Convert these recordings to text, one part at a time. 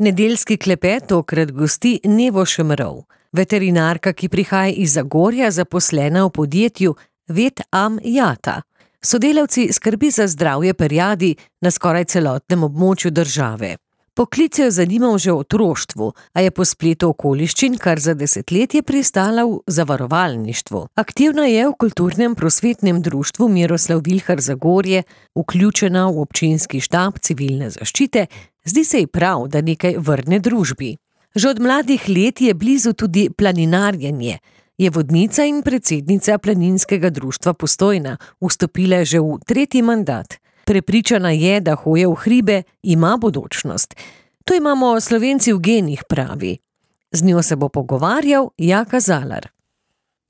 Nedeljski klepet tokrat gosti Nevo Šemrov, veterinarka, ki prihaja iz Zagorja, zaposlena v podjetju Vet Am Jata. Sodelavci skrbi za zdravje perjadi na skoraj celotnem območju države. Poklic jo je zanimal že v otroštvu, a je po spletu okoliščin kar za desetletje pristala v zavarovalništvu. Aktivna je v kulturnem prosvetnem društvu Miroslav Vilhar Zagorje, vključena v občinski štab civilne zaščite, zdi se ji prav, da nekaj vrne družbi. Že od mladih let je blizu tudi planinarjenje. Je vodnica in predsednica planinskega društva Postojna, vstopila že v 3. mandat. Prepričana je, da hoja v hribe ima bodočnost. To imamo Slovenci v genih, pravi. Z njo se bo pogovarjal Jaka Zalar.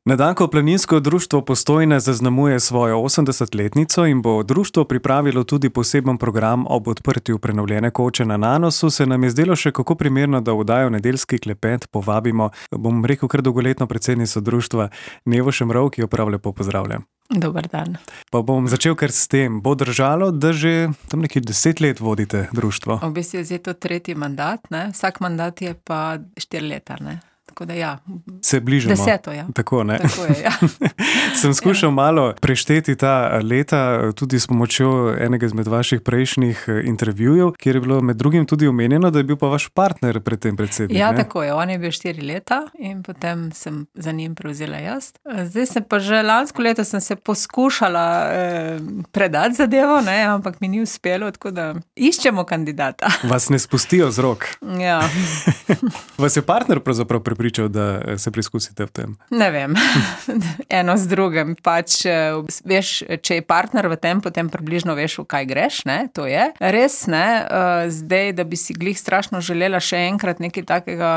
Na dan, ko planinsko društvo Postojna zaznamuje svojo 80-letnico in bo društvo pripravilo tudi poseben program ob odprtju prenovljene koče na Nanosu, se nam je zdelo še kako primerno, da v oddajo Nedeljski klepet povabimo, bom rekel, kar dolgoletno predsednico društva Nevo Šemrov, ki jo prav lepo pozdravljam. Dober dan. Pa bom začel kar s tem. Bo držalo, da že tam nekaj 10 let vodite društvo? V bistvu je zdaj to 3. mandat, ne? Vsak mandat je pa 4 leta, ne? Tako da ja. Se bližamo. 10, ja. Tako, ne? Tako je, ja. Sem skušal malo prešteti ta leta, tudi s pomočjo enega izmed vaših prejšnjih intervjujev, kjer je bilo med drugim tudi omenjeno, da je bil pa vaš partner pred tem predsednik. Ja, ne? tako je. On je bil 4 leta in potem sem za njim prevzela jaz. Zdaj sem pa že lansko leto sem se poskušala predati zadevo, ne, ampak mi ni uspelo, tako da iščemo kandidata. Vas ne spustijo z rok. Ja. Vas je partner pravzaprav pripričal, da se preizkusite v tem? Ne vem, eno z drugim. Pač, veš, če je partner v tem, potem približno veš, v kaj greš, ne, to je. Res, ne, zdaj, da bi si glih strašno želela še enkrat nekaj takega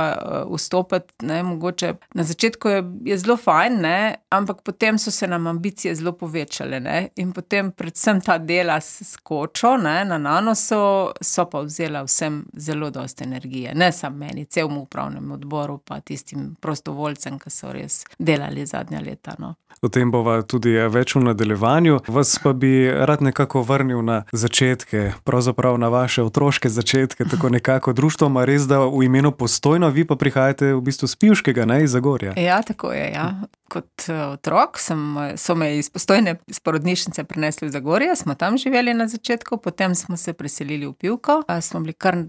vstopiti, ne, mogoče na začetku je zelo fajn, ne, ampak potem so se nam ambicije zelo povečale, ne, in potem predvsem ta dela s kočo, ne, na Nanosu so pa vzela vsem zelo dosti energije. Ne samo meni, celemu upravnemu odboru, pa tistim prostovoljcem, ki so res delali zadnja leta, no. O tem bova tudi več v nadaljevanju. Vas pa bi rad nekako vrnil na začetke, pravzaprav na vaše otroške začetke, tako nekako društvo ima res, da v imenu Postojno, vi pa prihajate v bistvu s Pivškega, ne, iz Zagorja. Ja, tako je, ja. Kot otrok so me iz Postojne, iz porodnišnice prinesli v Zagorje, smo tam živeli na začetku, potem smo se preselili v Pivko, smo bili kar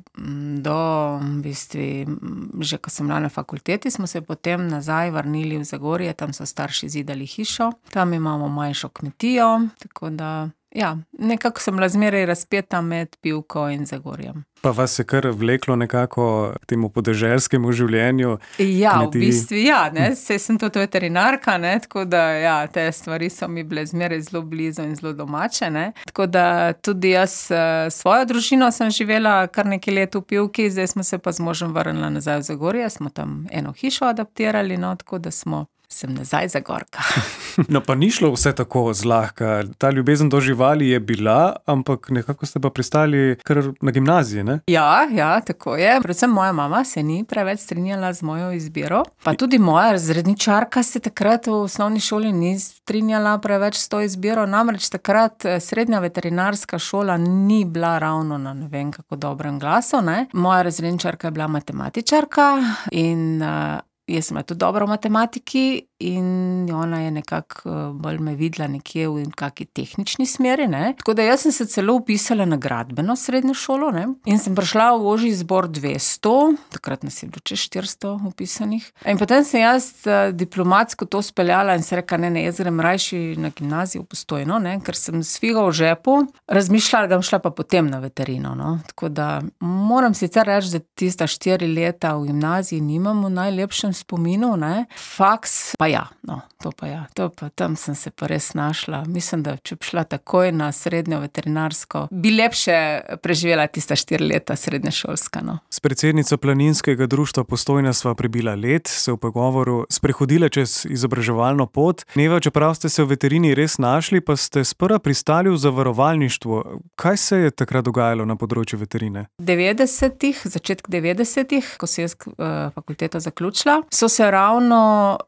do, v bistvu, že ko sem bila na fakulteti, smo se potem nazaj vrnili v Zagorje, tam so starši zidali hišo, tam imamo manjšo kmetijo, tako da, ja, nekako sem bila zmeraj razpeta med Pivko in Zagorjem. Pa vas je kar vleklo nekako k temu podeželskemu življenju? Ja, v bistvu ja, ne, saj sem tudi veterinarka, ne, tako da ja, te stvari so mi bile zmeraj zelo blizu in zelo domače, ne. Tako da tudi jaz svojo družino sem živela kar nekaj let v Pivki, zdaj smo se pa z možem vrnila nazaj v Zagorje, smo tam eno hišo adaptirali, no, tako da sem nazaj Zagorka. No, pa ni šlo vse tako zlahka. Ta ljubezen do živali je bila, ampak nekako ste pa pristali kar na gimnaziji, ne? Ja, tako je. Predvsem moja mama se ni preveč strinjala z mojo izbiro. Pa tudi moja razredničarka se takrat v osnovni šoli ni strinjala preveč s to izbiro. Namreč takrat srednja veterinarska šola ni bila ravno na ne vem kako dobrem glasu, ne. Moja razredničarka je bila matematičarka in jaz sem bila tudi dobra v matematiki in ona je nekako bolj me videla nekje v kaki tehnični smeri, ne. Tako da jaz sem se celo vpisala na gradbeno srednjo šolo, ne, in sem prišla v ožji izbor 200, takrat nas je bilo čez 400 vpisanih. In potem sem jaz diplomatsko to speljala in se rekla, ne, jaz grem rajši na gimnazijo v Postojno, ne, ker sem s figo v žepu razmišljala, da bom šla pa potem na veterino, no. Tako da moram sicer reči, da tista 4 leta v gimnaziji nimam v najlepšem spominu, ne. Faks pa ja, no, to pa tam sem se pa res našla. Mislim, da če bi šla takoj na srednjo veterinarsko, bi lepše preživela tista 4 leta srednješolska, no. S predsednico planinskega društva Postojna sva prebila let, se v pogovoru sprehodila čez izobraževalno pot. Neva, čeprav ste se v veterini res našli, pa ste sprva pristali v zavarovalništvu. Kaj se je takrat dogajalo na področju veterine? Začetek 90-ih, ko sem jaz fakulteto zaključila, so se ravno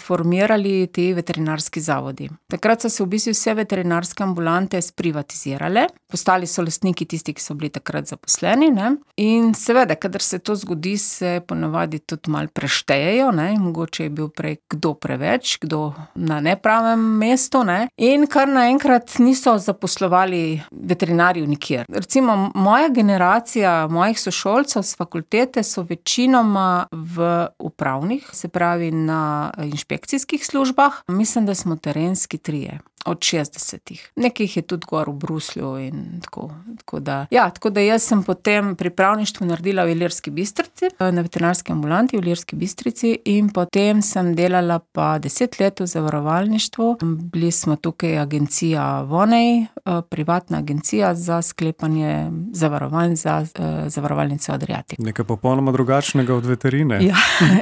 formirali ti veterinarski zavodi. Takrat so se v bistvu vse veterinarske ambulante sprivatizirale, postali so lastniki tisti, ki so bili takrat zaposleni, ne. In seveda, kadar se to zgodi, se ponavadi tudi malo preštejejo, ne, mogoče je bil prej kdo preveč, kdo na nepravem mestu, ne, in kar naenkrat niso zaposlovali veterinarjev nikjer. Recimo, moja generacija mojih sošolcev s fakultete so večinoma v upravnih, se pravi na inšpekcijskih službah. Mislim, da smo terenski trije. Od 60. Nekaj jih je tudi gor v Bruslju in tako. Tako da jaz sem potem pripravništvo naredila v Ilirski Bistrici, na veterinarski ambulanti v Ilirski Bistrici, in potem sem delala pa 10 let v zavarovalništvu. Bili smo tukaj agencija Vonej, privatna agencija za sklepanje zavarovanj za zavarovalnico Adriatic. Nekaj popolnoma drugačnega od veterine.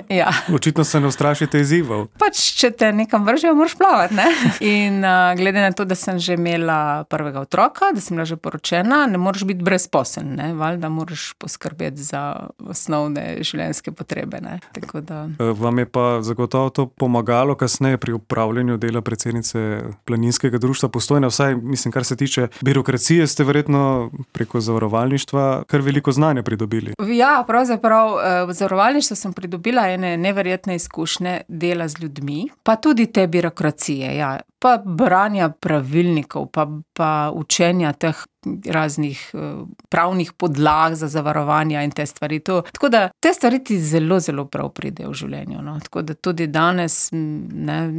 Ja. Očitno se ne ustrašite izzivov. Pač, če te nekam vržejo, moraš plavati, ne? In glede na to, da sem že imela prvega otroka, da sem bila že poročena, ne moreš biti brezposeln, ne? Valjda moraš poskrbeti za osnovne življenjske potrebe, ne? Tako da... Vam je pa zagotovo to pomagalo kasneje pri upravljanju dela predsednice Planinskega društva Postojna, vsaj, mislim, kar se tiče birokracije, ste verjetno preko zavarovalništva kar veliko znanja pridobili. Ja, pravzaprav v zavarovalništvu sem pridobila ene neverjetne izkušnje dela z ljudmi, pa tudi te birokracije, ja. Pa branja pravilnikov, pa učenja teh raznih pravnih podlag za zavarovanja in te stvari. Tako da te stvari ti zelo, zelo prav pridejo v življenju, no. Tako da tudi danes, ne,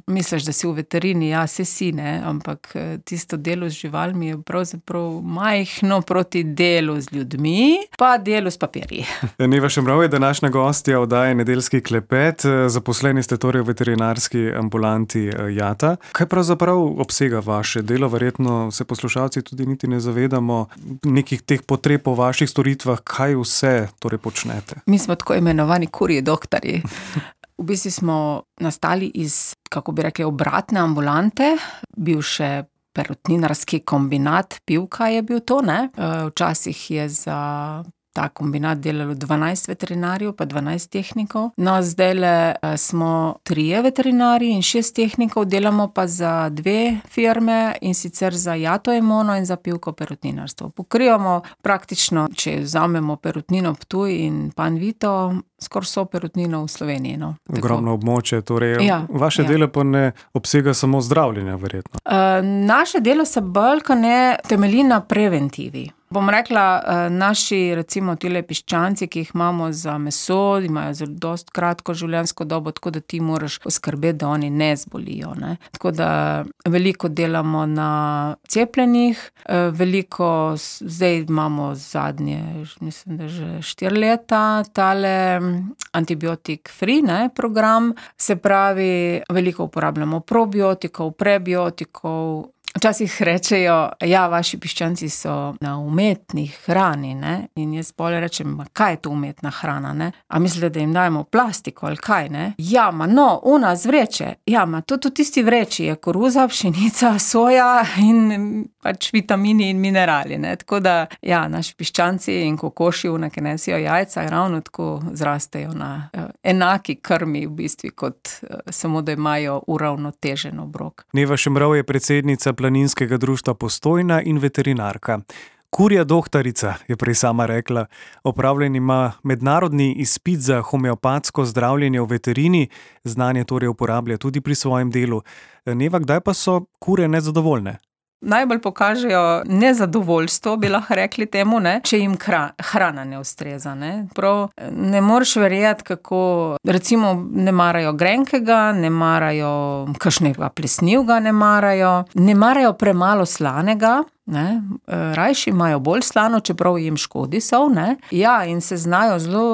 misliš, da si v veterini, ja, si, ne, ampak tisto delo z živalmi je pravzaprav majhno proti delu z ljudmi, pa delu s papirji. Neva Šemrov je današnja gostja oddaje Nedeljski klepet. Zaposleni ste torej v veterinarski ambulanti Jata. Kaj pravzaprav obsega vaše delo? Verjetno se poslušalci tudi niti ne zavedamo nekih teh potreb po vaših storitvah, kaj vse torej počnete. Mi smo tako imenovani kurji doktorji. V bistvu smo nastali iz, kako bi rekli, obratne ambulante, bivše perutninarski kombinat Pivka je bil to, ne. Včasih je za ta kombinat delalo 12 veterinarjev, pa 12 tehnikov. No, zdajle smo 3 veterinarji in 6 tehnikov, delamo pa za 2 firme, in sicer za Jato Emono in za Pivko perutninarstvo. Pokrivamo praktično, če vzamemo Perutnino Ptuj in Panvito, skoraj so perutnino v Sloveniji, no. Ogromno območje, torej vaše delo pa ne obsega samo zdravljenja, verjetno. Naše delo se bolj kot ne temelji na preventivi. Bom rekla, naši, recimo, tile piščanci, ki jih imamo za meso, imajo zelo dosti kratko življenjsko dobo, tako da ti moraš poskrbeti, da oni ne zbolijo, ne. Tako da veliko delamo na cepljenjih, veliko, zdaj imamo zadnje, mislim, da že 4 leta, tale antibiotik free, ne, program, se pravi, veliko uporabljamo probiotikov, prebiotikov. Včasih rečejo, ja, vaši piščanci so na umetni hrani, ne, in jaz pol rečem, kaj je to umetna hrana, ne, a mislite, da jim dajemo plastiko ali kaj, ne, ja, ona z vreče, ja, tudi v tisti vreči je koruza, pšenica, soja in pač vitamini in minerali, ne, tako da, ja, naši piščanci in kokoši, ki nesijo jajca, ravno tako zrastejo na enaki krmi v bistvu, kot samo da imajo uravnotežen obrok. Neva Šemrov je predsednica Planinskega društva Postojna in veterinarka. Kurja doktorica, je prej sama rekla. Opravljen ima mednarodni izpit za homeopatsko zdravljenje v veterini, znanje torej uporablja tudi pri svojem delu. Neva, kdaj pa so kure nezadovoljne? Najbolj pokažejo nezadovoljstvo, bi lahko rekli temu, ne, če jim hrana ne ustreza, ne. Prav ne moreš verjeti, kako, recimo, ne marajo grenkega, ne marajo kakšnega plesnivega, ne marajo premalo slanega, ne, rajši imajo bolj slano, čeprav jim škodi sol, ne. Ja, in se znajo zelo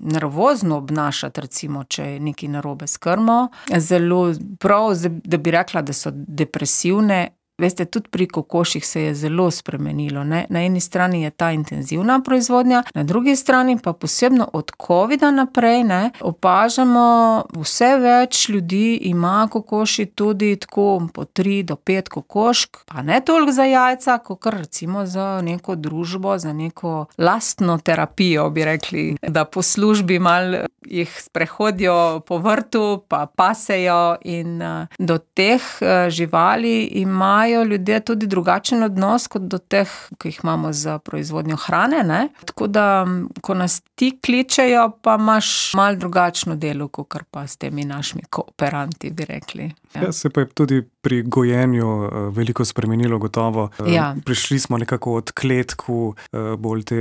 nervozno obnašati, recimo, če je nekaj narobe s krmo. Zelo prav, da bi rekla, da so depresivne. Veste, tudi pri kokoših se je zelo spremenilo, ne. Na eni strani je ta intenzivna proizvodnja, na drugi strani pa posebno od covida naprej, ne, opažamo, vse več ljudi ima kokoši tudi tako po 3 do 5 kokošk, pa ne toliko za jajca, kakor recimo za neko družbo, za neko lastno terapijo, bi rekli, da po službi malo jih sprehodijo po vrtu, pa pasejo in do teh živali imajo ljudje tudi drugačen odnos kot do teh, ki jih imamo za proizvodnjo hrane, ne? Tako da, ko nas ti kličejo, pa imaš malo drugačno delo, kakor pa s temi našimi kooperanti, bi rekli. Ja, se pa je tudi pri gojenju veliko spremenilo gotovo. Ja. Prišli smo nekako od kletku, bolj te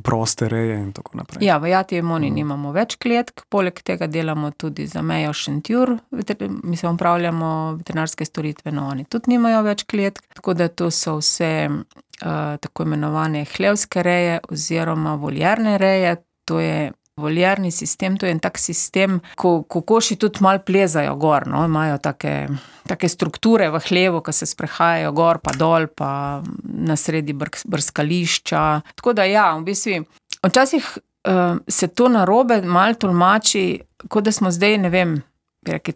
proste reje in tako naprej. Ja, v Jati Emoni nimamo več kletk, poleg tega delamo tudi za Mejo Šentjur, upravljamo veterinarske storitve, no oni tudi nimajo več kletk, tako da to so vse tako imenovane hlevske reje oziroma voljerne reje, to je voljerni sistem, to je en tak sistem, ko kokoši tudi malo plezajo gor, no, imajo take strukture v hlevu, ko se sprehajajo gor pa dol, pa na sredi brskališča. Tako da ja, v bistvu, včasih se to narobe malo tolmači, kot da smo zdaj, ne vem,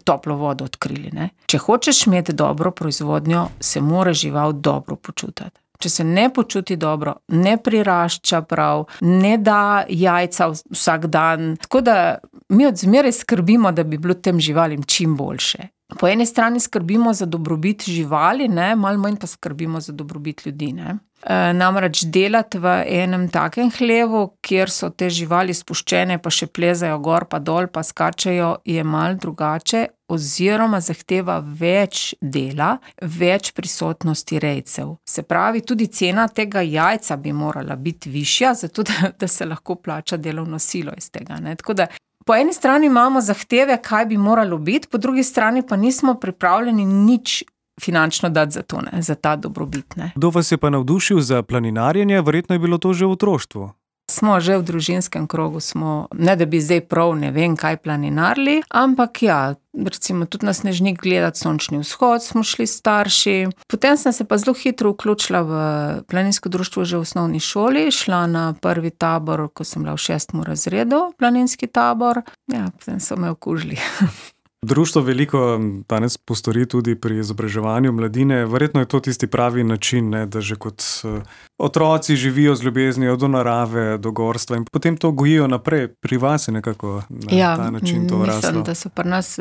toplo vodo odkrili, ne. Če hočeš imeti dobro proizvodnjo, se mora žival dobro počutiti. Če se ne počuti dobro, ne prirašča prav, ne da jajca vsak dan. Tako da mi od zmeraj skrbimo, da bi bilo tem živalim čim boljše. Po eni strani skrbimo za dobrobit živali, ne, malo manj pa skrbimo za dobrobit ljudi, ne. Namreč delati v enem takem hlevu, kjer so te živali spuščene, pa še plezajo gor pa dol, pa skačejo, je malo drugače oziroma zahteva več dela, več prisotnosti rejcev. Se pravi, tudi cena tega jajca bi morala biti višja, zato da se lahko plača delovno silo iz tega, ne. Tako da po eni strani imamo zahteve, kaj bi moralo biti, po drugi strani pa nismo pripravljeni nič finančno dati za to, ne, za ta dobrobit, ne. Kdo vas je pa navdušil za planinarjenje? Verjetno je bilo to že v otroštvu. Smo že v družinskem krogu, ne da bi zdaj prav ne vem kaj planinarili, ampak ja, recimo tudi na Snežnik gledati sončni vzhod smo šli starši. Potem sem se pa zelo hitro vključila v planinsko društvo že v osnovni šoli, šla na prvi tabor, ko sem bila v 6. razredu, planinski tabor. Ja, potem so me okužili. Društvo veliko danes postori tudi pri izobraževanju mladine. Verjetno je to tisti pravi način, ne, da že kot otroci živijo z ljubeznijo do narave, do gorstva in potem to gojijo naprej. Pri vas je nekako na ta način to raslo. Mislim, da so pri nas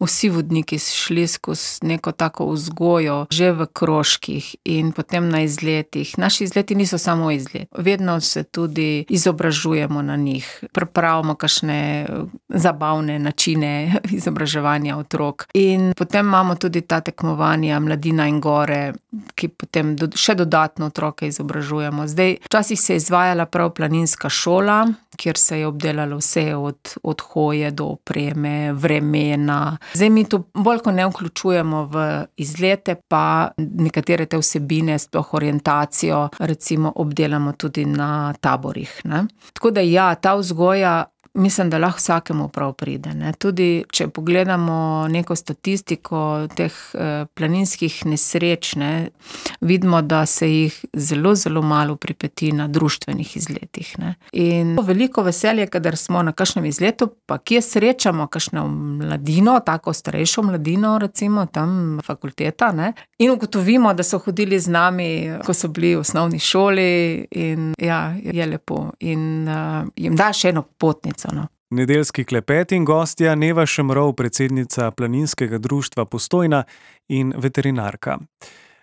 vsi vodniki šli skozi neko tako vzgojo, že v krožkih in potem na izletih. Naši izleti niso samo izlet. Vedno se tudi izobražujemo na njih. Pripravimo kakšne zabavne načine izobraževanja otrok. In potem imamo tudi ta tekmovanja Mladina in gore, ki potem še dodatno otroke izobražujemo. Zdaj, včasih se je izvajala prav planinska šola, kjer se je obdelalo vse od hoje do opreme, vremena. Zdaj mi to bolj ko ne vključujemo v izlete, pa nekatere te vsebine, sploh orientacijo, recimo obdelamo tudi na taborih, ne. Tako da ja, ta vzgoja mislim, da lahko vsakemu prav pride, ne. Tudi če pogledamo neko statistiko teh planinskih nesreč, ne, vidimo, da se jih zelo, zelo malo pripeti na društvenih izletih, ne. In veliko veselje, kadar smo na kakšnem izletu, pa kje srečamo kakšno mladino, tako starejšo mladino, recimo tam fakulteta, ne, in ugotovimo, da so hodili z nami, ko so bili v osnovni šoli in ja, je lepo. In jim da še eno potnico. No. Nedeljski klepet in gostja Neva Šemrov, predsednica Planinskega društva Postojna in veterinarka.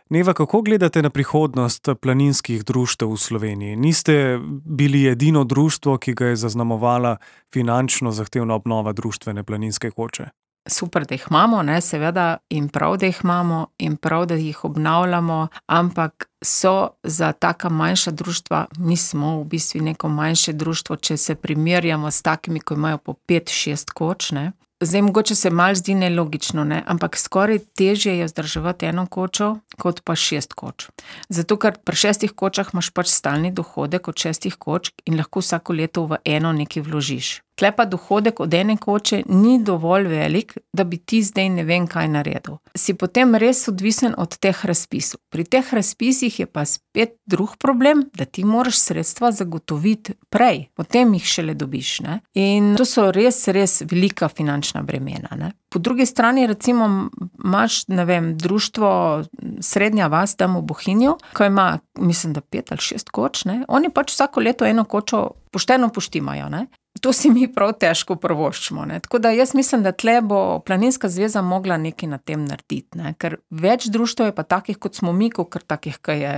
Neva, kako gledate na prihodnost planinskih društev v Sloveniji? Niste bili edino društvo, ki ga je zaznamovala finančno zahtevna obnova društvene planinske koče. Super, da jih imamo, ne, seveda, in prav, da jih imamo, in prav, da jih obnavljamo, ampak so za taka manjša društva, mi smo v bistvu neko manjše društvo, če se primerjamo s takimi, ko imajo po 5-6 koč, ne. Zdaj, mogoče se malo zdi nelogično, ne, ampak skoraj težje je vzdrževati eno kočo, kot pa 6 koč. Zato, ker pri 6 kočah imaš pač stalni dohodek od 6 koč in lahko vsako leto v eno nekaj vložiš. Tle pa dohodek od ene koče ni dovolj velik, da bi ti zdaj ne vem kaj naredil. Si potem res odvisen od teh razpisov. Pri teh razpisih je pa spet drug problem, da ti moraš sredstva zagotoviti prej, potem jih šele dobiš, ne. In to so res, res velika finančna bremena, ne. Po drugi strani recimo imaš, ne vem, društvo Srednja vas tam v Bohinju, ko ima, mislim, da 5 ali 6 koč, ne. Oni pač vsako leto eno kočo pošteno poštimajo, ne. to si mi prav težko privoščimo, ne. Tako da jaz mislim, da tle bo Planinska zveza mogla nekaj na tem narediti, ne. Ker več društev je pa takih, kot smo mi, kakor takih, ki je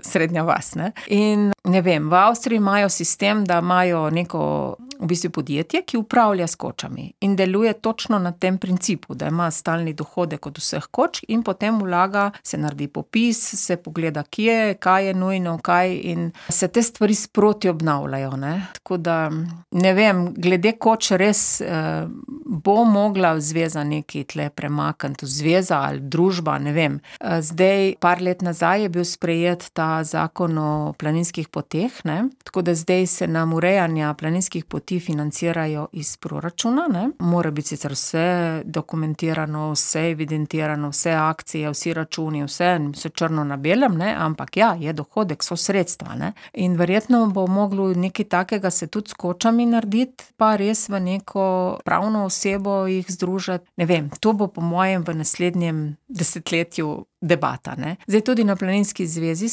srednja vas, ne. In ne vem, v Avstriji imajo sistem, da imajo neko v bistvu podjetje, ki upravlja s kočami in deluje točno na tem principu, da ima stalni dohodek od vseh koč in potem vlaga, se naredi popis, se pogleda, kje, kaj je nujno, kaj in se te stvari sproti obnavljajo, ne. Tako da, ne vem, glede koč res bo mogla zveza nekaj tle premakniti, zveza ali družba, ne vem. Zdaj, par let nazaj je bil sprejet ta zakon o planinskih poteh, ne. Tako da zdaj se nam urejanja planinskih poti financirajo iz proračuna, ne. Mora biti sicer vse dokumentirano, vse evidentirano, vse akcije, vsi računi, vse črno na belem, ne, ampak ja, je dohodek, so sredstva, ne. In verjetno bo moglo nekaj takega se tudi s kočami narediti, pa res v neko pravno osebo jih združiti. Ne vem, to bo po mojem v naslednjem desetletju debata, ne. Zdaj tudi na Planinski zvezi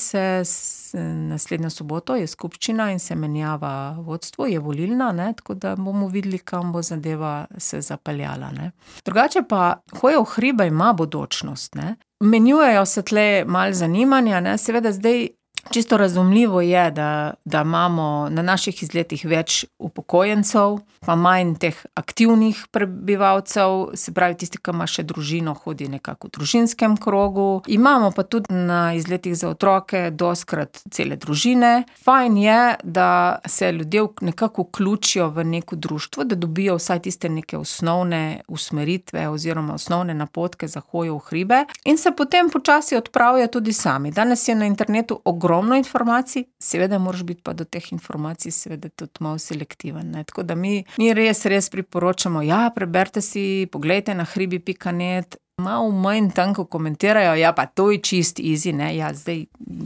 naslednjo soboto je skupščina in se menjava vodstvo, je volilna, ne, tako da bomo videli, kam bo zadeva se zapeljala, ne. Drugače pa hoja v hribe ima bodočnost, ne. Menjujejo se tle malo zanimanja, ne, seveda zdaj čisto razumljivo je, da imamo na naših izletih več upokojencev, pa manj teh aktivnih prebivalcev, se pravi tisti, ki ima še družino, hodi nekako v družinskem krogu. Imamo pa tudi na izletih za otroke dostikrat cele družine. Fajn je, da se ljudje nekako vključijo v neko društvo, da dobijo vsaj tiste neke osnovne usmeritve oziroma osnovne napotke za hojo v hribe in se potem počasi odpravijo tudi sami. Danes je na internetu ogromno informacij, seveda moraš biti pa do teh informacij seveda tudi malo selektiven, ne. Tako da mi res priporočamo, ja, preberite si, poglejte na hribi.net, malo manj tanko komentirajo, ja, pa to je čist easy, ne, ja, zdaj,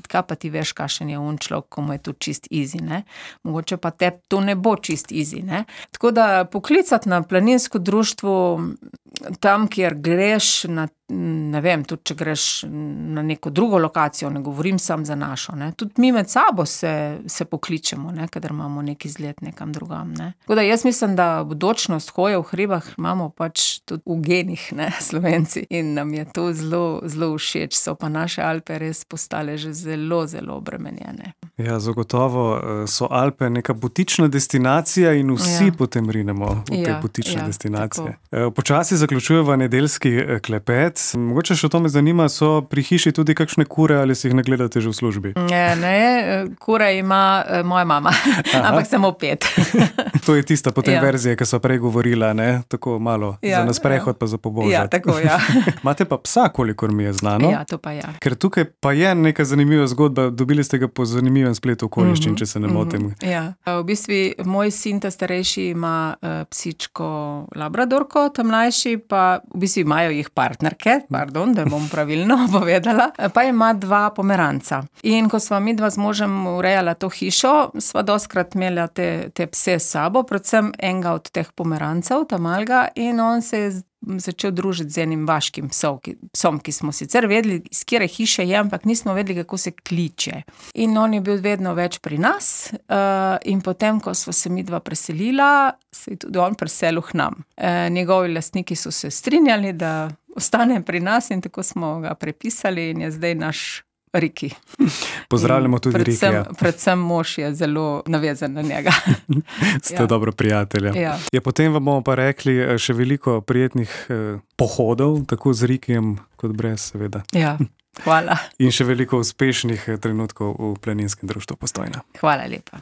kaj pa ti veš, kakšen je človek, komu je to čist easy, ne, mogoče pa te to ne bo čist easy, ne. Tako da poklicati na planinsko društvo tam, kjer greš ne vem, tudi če greš na neko drugo lokacijo, ne govorim samo za našo, ne, tudi mi med sabo se pokličemo, ne, kadar imamo neki izlet nekam drugam, ne. Tako da jaz mislim, da bodočnost hoje v hribah imamo pač tudi v genih, ne, Slovenci, in nam je to zelo, zelo všeč, so pa naše Alpe res postale že zelo, zelo obremenjene. Ja, zagotovo so Alpe neka butična destinacija in vsi potem rinemo v te butične destinacije. Počasi zaključujeva nedeljski klepet. Mogoče še to me zanima, so pri hiši tudi kakšne kure ali si jih ne gledate že v službi? Ne, kure ima moja mama, ampak samo 5. To je tista potem verzija, ki so prej govorila, ne? Tako malo za na sprehod pa za pobožat. Ja, tako, ja. Imate pa psa, kolikor mi je znano. Ja, to pa ja. Ker tukaj pa je neka zanimiva zgodba, dobili ste ga po zanimivem spletu okoliščin, če se ne motim. Ja, v bistvu moj sin, ta starejši, ima psičko labradorko, ta mlajši pa v bistvu imajo jih partnerke, da bom pravilno povedala, pa ima 2 pomeranca. In ko sva midva z možem urejala to hišo, sva dostikrat imela te pse s sabo, predvsem enega od teh pomerancev, ta malega, in on se je začel družiti z enim vaškim psom, ki smo sicer vedeli, iz katere hiše je, ampak nismo vedeli, kako se kliče. In on je bil vedno več pri nas, in potem, ko sva se midva preselila, se je tudi on preselil k nam. Njegovi lastniki so se strinjali, da ostane pri nas, in tako smo ga prepisali in je zdaj naš Riki. Pozdravljamo tudi Rikija. Predvsem mož je zelo navezan na njega. Ste dobro prijatelja. Ja, potem vam bomo pa rekli še veliko prijetnih pohodov, tako z Rikijem kot brez, seveda. Ja, hvala. In še veliko uspešnih trenutkov v Planinskem društvu Postojna. Hvala lepa.